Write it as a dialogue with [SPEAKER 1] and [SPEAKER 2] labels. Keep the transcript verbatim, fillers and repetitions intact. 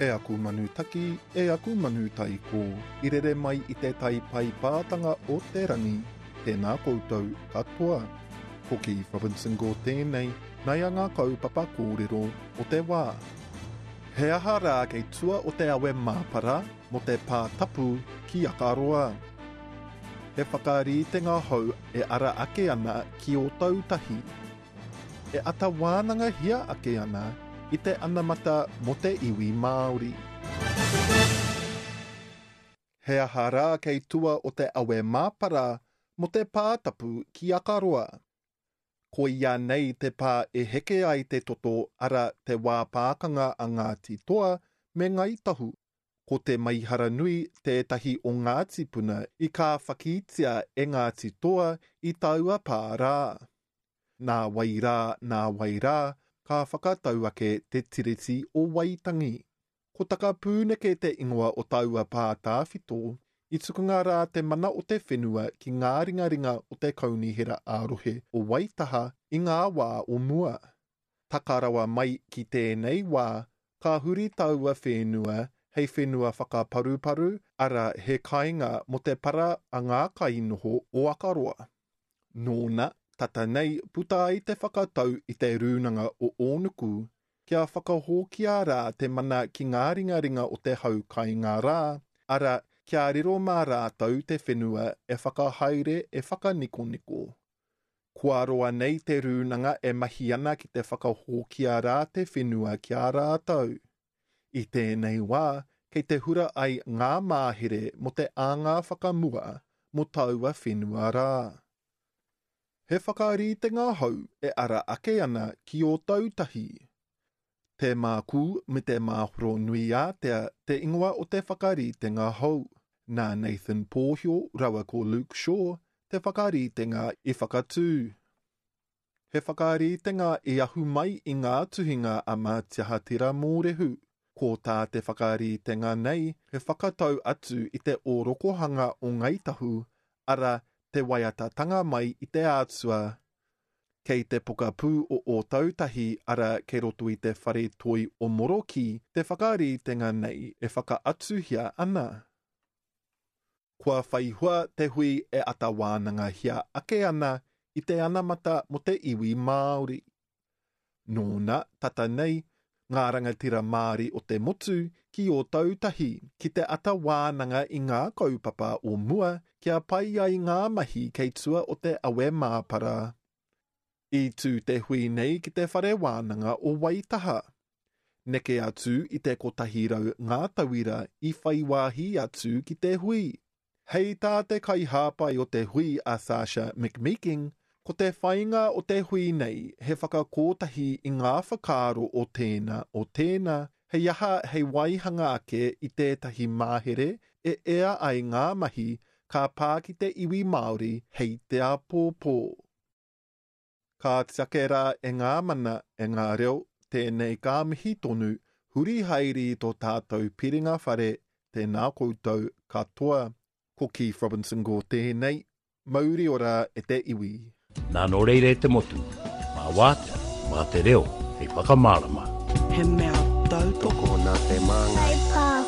[SPEAKER 1] E aku manu taki, e aku manu taiko, i rere mai i te tai paipātanga o te rangi, tēnā koutou katoa. Ko Keith Robinson Gore tēnei, nei a ngā kaupapa kōrero o te wā. He aha rā kei tua o te awe māpara mō te pā tapu ki Akaroa. He whakaritenga hou e ara ake ana ki Ōtautahi. E ata wānangahia ake ana i te anamata mō te iwi Māori. He aha rā kei tua o te awe māpara mō te pā tapu ki Akaroa. Koia nei te pā e heke ai te toto ara te wā pākanga a Ngāti Toa me Ngāi Tahu. Ko te Maihara Nui tētahi o ngā tīpuna i kāwhakitia e Ngāti Toa i taua pā rā. Nā wai rā, nā wai rā, ka whakatau ake te Tiriti o Waitangi. Ko Takapūneke te ingoa o taua pā tāwhito, i tukunga rā te mana o te whenua ki ngā ringaringa o te kaunihera ā-rohe o Waitaha i ngā wā o mua. Taka rawa mai ki tēnei wā, ka huri taua whenua hei whenua whakaparuparu, ara he kāinga mō te para a ngā kainoho o Akaroa. Nōna, tata nei puta ai te whakatau i te rūnanga o Ōnuku, kia whakahokia rā te mana ki ngā ringaringa o te hau kāinga rā, ara kia riro mā rātou te whenua e whakahaere e whakanikoniko. Kua roa nei te rūnanga e mahi ana ki te whakahokia rā te whenua ki a rātou. I tēnei wā, kei te hura ai ngā māhere mō te āngā whakamua mō taua whenua rā. He whakaritenga hou e ara ake ana ki Ōtautahi. Te Mākū me te Māhoro nui ātea te ingoa o te whakaritenga hou. Nā Nathan Pōhio rawa ko Luke Shaw te whakaritenga i whakatū. He whakaritenga i ahu mai i ngā tuhinga a Mātiaha Tera Mōrehu. Ko tā te whakaritenga nei he whakatau atu i te ōrokohanga o Ngāi Tahu, ara te waiatatanga mai i te atua. Kei te pokapū o Ōtautahi ara kei roto i te whare toi o Moroki te whakaritenga nei e whakaatuhia ana. Kua whai hua te hui e ata wānangahia ake ana i te anamata mō te iwi Māori. Nōna, tata nei, ngā rangatira Māori o te motu ki Ōtautahi ki te ata wānanga i ngā kaupapa o mua kia pai ai ngā mahi kei tua o te awe māpara. I tū te hui nei ki te whare wānanga o Waitaha. Neke atu i te kotahi rau ngā tauira i whai wāhi atu ki te hui. Hei tā te kaihāpai o te hui a Sasha McMeeking, ko te whainga o te hui nei he whakakōtahi i ngā whakaaro o tēnā o tēnā, hei aha hei waihanga ake i tētahi māhere e ea ai ngā mahi ka pā ki te iwi Māori hei te āpōpō. Ka tiake rā e ngā mana, e ngā reo, tēnei ka mihi tonu, huri haere i tō tātou piringa whare, tēnā koutou katoa. Ko Keith Robinson Gore tēnei, mauri ora e te iwi.
[SPEAKER 2] Nā nō reira e te motu, mā wātea, mā te reo, hei whakamārama.
[SPEAKER 3] He mea tautoko
[SPEAKER 4] Tokona te māngai.
[SPEAKER 5] Whai